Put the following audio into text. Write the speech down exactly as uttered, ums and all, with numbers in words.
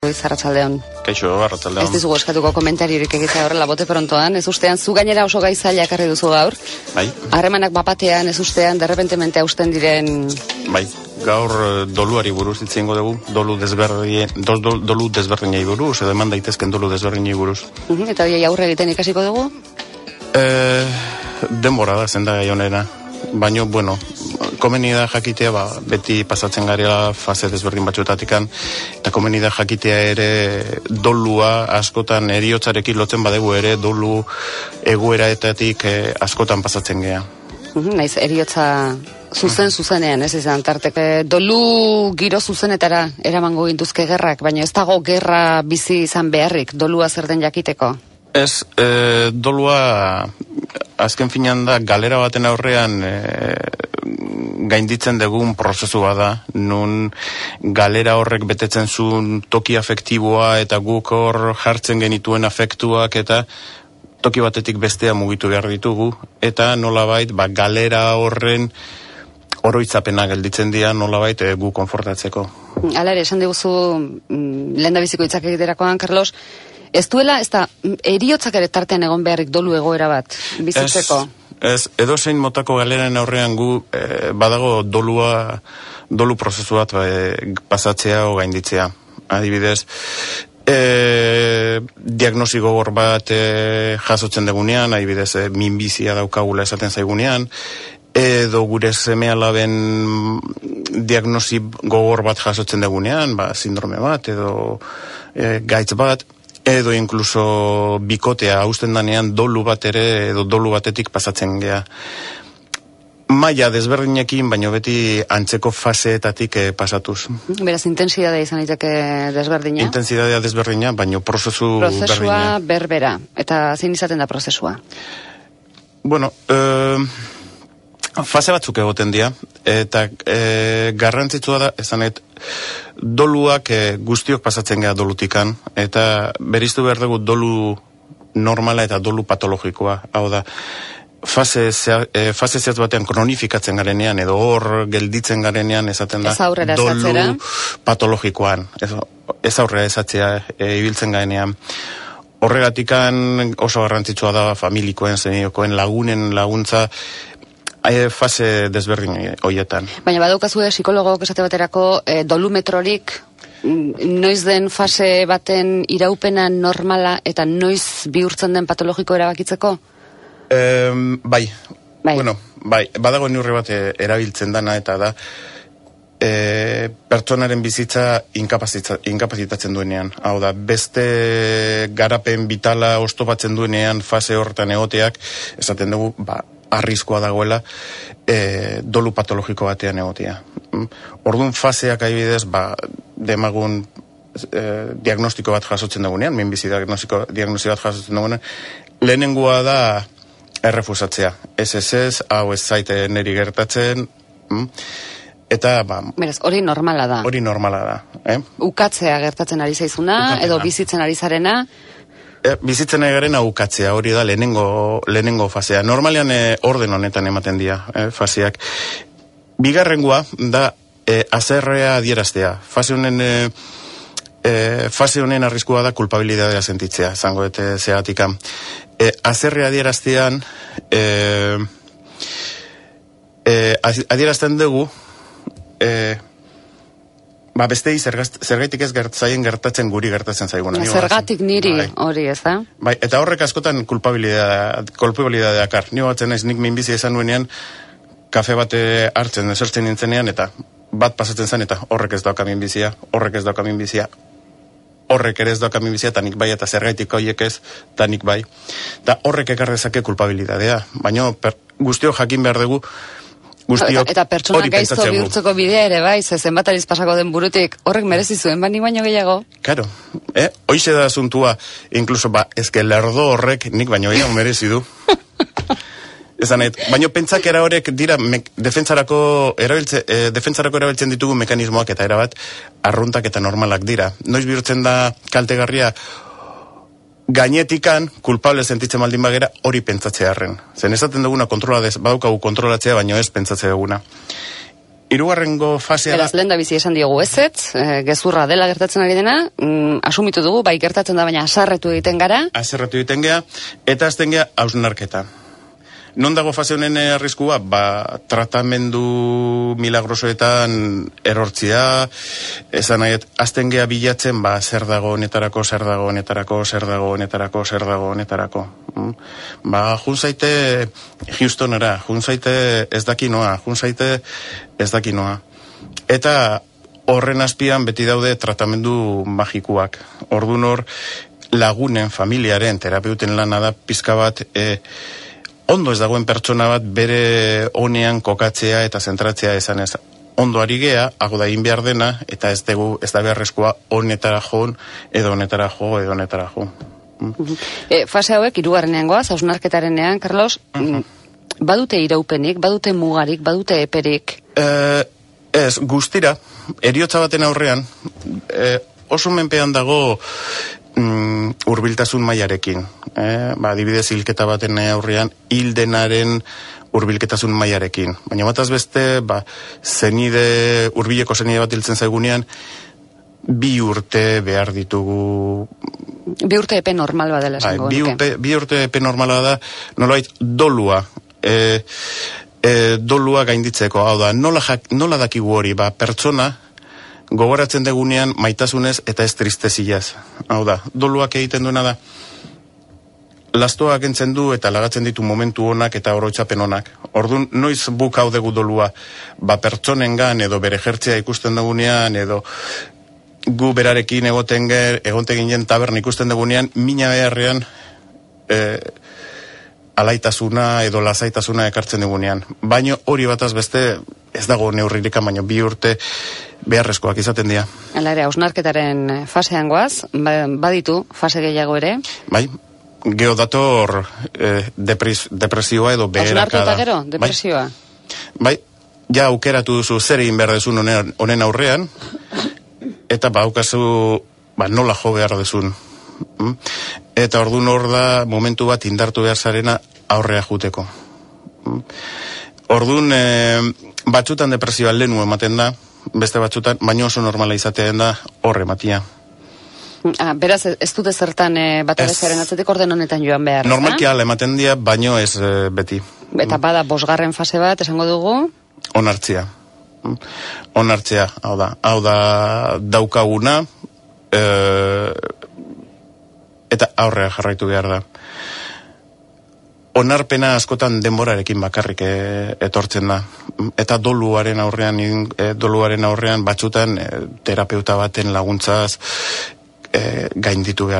Arratsaldeon. Kaixo, arratsaldeon. Ez dizugu eskatuko komentariorik egitea horrela bote prontoan, ez ustean zu gainera oso gai zaila ekarri duzu gaur. Bai. Harremanak bapatean, ez ustean derrepentemente hausten diren... Bai, gaur doluari buruz hitz egingo dugu, dolu desberdin, do, do, dolu desberdinei buruz, edo eman daitezken dolu desberdinei buruz. Uh-huh, eta hori aurre egiten ikasiko dugu? Eh, denbora da, zenda gai honena. Baina, bueno, komeni da jakitea, ba, beti pasatzen garela fase desberdin batzuetatikan, eta komeni da jakitea ere dolua askotan heriotzarekin lotzen badegu ere dolu egoeraetatik eh, askotan pasatzen gea. Uh-huh, naiz, heriotza zuzen zuzenean, ez izan, tarteke dolu giro zuzenetara eramango gintuzke gerrak, baina ez dago gerra bizi izan beharrik, dolua zer den jakiteko? Ez, e, dolua azken finean da galera baten aurrean e, gainditzen dugun prozesu bada, nun galera horrek betetzen zuen toki afektiboa eta guk hor jartzen genituen afektuak eta toki batetik bestea mugitu behar ditugu, eta nolabait ba, galera horren oroitzapena gelditzen dira nolabait e, gu konfortatzeko. Hala ere, esan diguzu lehen da biziko hitzak egiterakoan, Carlos, ez duela, ez da, heriotzak ere tartean egon beharrik dolu egoera bat, bizitzeko? Ez, ez edo zein motako galeren aurrean gu e, badago dolua, dolu prozesu bat e, pasatzea o gainditzea. Adibidez, e, diagnosi gogor bat e, jasotzen degunean, adibidez, e, minbizia daukagula esaten zaigunean, edo gure seme alaben diagnosi gogor bat jasotzen degunean, ba, sindrome bat, edo e, gaitz bat, edo inkluso bikotea hausten danean dolu bat ere, edo dolu batetik pasatzen gea. Maila desberdinekin, baino beti antzeko faseetatik eh, pasatuz. Beraz, intensidadea izan daiteke desberdina? Intensidadea desberdina, baino prozesu berdina. Prozesua berbera. Eta zein izaten da prozesua? Bueno, eh, fase batzuk egoten dira, eta e, garrantzitsua da, esanet, doluak e, guztiok pasatzen gara dolutikan, eta beriztu behar dugu dolu normala eta dolu patologikoa. Hau da, fase, e, fase zehatz batean kronifikatzen garenean, edo hor gelditzen garenean, esaten da, dolu patologikoan. Ez, ez aurrera esatzea e, ibiltzen garenean. Horregatikan oso garrantzitsua da familikoen, zeniokoen, lagunen laguntza, E, fase desberdin horietan. Baina badaukazu psikologok esate baterako e, dolumetrorik noiz den fase baten iraupena normala eta noiz bihurtzen den patologiko erabakitzeko? E, bai. bai. Bueno, bai. Badago neurri bat erabiltzen dana eta da e, pertsonaren bizitza inkapazitatzen duenean. Hau da, beste garapen vitala oztopatzen duenean fase horretan egoteak, esaten dugu, ba, arriskoa dagoela e, dolu patologiko batean egotea. Orduan faseak adibidez, ba, demagun e, diagnostiko bat jasotzen dugunean, minbizi diagnostiko, diagnostiko bat jasotzen dugunean, lehenengoa da errefusatzea. Ez ez ez, hau ez zaite neri gertatzen, eta, ba... Beraz, hori normala da. Hori normala da. Eh? Ukatzea gertatzen ari zaizuna, Ukatzea. Edo bizitzen ari zarena... E, bizitzen egaren aukatzea, hori da lehenengo, lehenengo fasea. Normalean e, orden honetan ematen dira e, faseak. Bigarrengoa da e, azerrea adieraztea. Fase honen, e, e, fase honen arriskua da kulpabilidadea sentitzea, zango eta zeatika. E, azerrea adieraztean, e, e, adierazten dugu, e, ba, bestei zergaitik ez gertzaien gertatzen guri gertatzen zaiguna. Zergatik niri bai. Hori ez da? Bai, eta horrek askotan kulpabilidadea kulpabilidadea dakar. Ni batzen ez nik minbizia izan nuenean, kafe bate hartzen, esertzen nintzenean, eta bat pasatzen zen, eta horrek ez dauka minbizia, horrek ez dauka minbizia, horrek ere ez dauka minbizia, eta nik bai, eta zergaitik horiek ez, eta nik bai. Eta horrek ekarrezake kulpabilidadea. Baina guztio jakin behar dugu, Guztiok, eta pertsona gaizto bihurtzeko bidea ere bai, zezen bat ariz pasako den burutik, horrek merezi zuen, bani baino gehiago. Karo, eh? Hoize da asuntua, inkluso, ba, ezke lerdo horrek nik baino gehiago merezi du. Ezanet, baino pentsakera horrek dira mek, defentsarako, erabiltze, eh, defentsarako erabiltzen ditugu mekanismoak eta erabat arruntak eta normalak dira. Noiz bihurtzen da kaltegarria gainetikan, kulpable sentitzen maldin bagera, hori pentsatzearren. Zen esaten duguna kontrola, badaukagu kontrolatzea, baino ez pentsatzea duguna. Hirugarrengo fasea da... Beraz, lehen da bizi esan diogu ezetz, e, gezurra dela gertatzen ari dena, mm, asumitu dugu, bai gertatzen da, baina asarretu egiten gara. Asarretu egiten gea, eta azten gea hausnarketa. Non dago fase honen arriskua? Ba, tratamendu milagrosoetan erortzia, esan nahi, azten gea bilatzen, ba, zer dago honetarako, zer dago honetarako, zer dago honetarako, zer dago honetarako. Mm? Ba, jun zaite Houstonera, jun zaite ez dakinoa, jun zaite ez dakinoa. Eta horren azpian beti daude tratamendu magikuak. Ordun hor, lagunen, familiaren, terapeuten lana da pizka bat... E, ondo ez dagoen pertsona bat bere honean kokatzea eta zentratzea esan ez. Ondo ari gea, hago da egin behar dena, eta ez dugu, ez da beharrezkoa honetara joan, edo honetara jo, edo honetara jo. Mm. E, fase hauek, hirugarrenean goaz, hausnarketarenean, Carlos, uh-huh. badute iraupenik, badute mugarik, badute eperik? E, ez, guztira, heriotza baten aurrean, e, oso menpean dago... Mm, hurbiltasun mailarekin. Eh, ba, adibidez hilketa baten aurrean hildenaren hurbilketasun mailarekin. Baina bataz beste, ba, zenide, hurbileko zenide bat hiltzen zaigunean, bi urte behar ditugu... Bi urte epe normal badela esango. Bi urte, bi urte epe normala da, nolait dolua, e, e, dolua gainditzeko. Hau da, nola, jak, nola dakigu hori, ba, pertsona, gogoratzen degunean maitasunez eta ez tristeziaz. Hau da, doluak egiten duena da, lastoak entzen du eta lagatzen ditu momentu honak eta oroitzapen honak. Orduan, noiz buk hau dugu dolua, ba pertsonengan edo bere jertzea ikusten dugunean, edo gu berarekin egoten ger, egonte ginen tabern ikusten dugunean, mina beharrean e, alaitasuna edo lasaitasuna ekartzen dugunean. Baina hori bataz beste, ez dago neurririka, baina bi urte beharrezkoak izaten dira. Hala ere, hausnarketaren fasean goaz, baditu fase gehiago ere? Bai, geodator eh, depres, depresioa edo beherakada. Hausnartu eta gero, depresioa? Bai, bai, ja aukeratu duzu zer egin behar dezun honen, honen aurrean, eta ba, aukazu, ba, nola jo behar dezun. Eta ordun hor da momentu bat indartu behar zarena aurrea juteko. Ordun eh, batzutan depresioa lehenu ematen da, beste batzutan, baino oso normala izatean da horre matia. Ah, beraz, ez dute zertan e, bat abezaren atzetik orden honetan joan behar. Normalki ala ematen dira, baino ez e, beti. Eta bada, bosgarren fase bat, esango dugu? Onartzea. Onartzea, hau da. Hau da daukaguna, e, eta aurrea jarraitu behar da. Onarpena askotan denborarekin bakarrik e, etortzen da. Eta doluaren aurrean, e, doluaren aurrean batzutan e, terapeuta baten laguntzaz e, gainditu behar.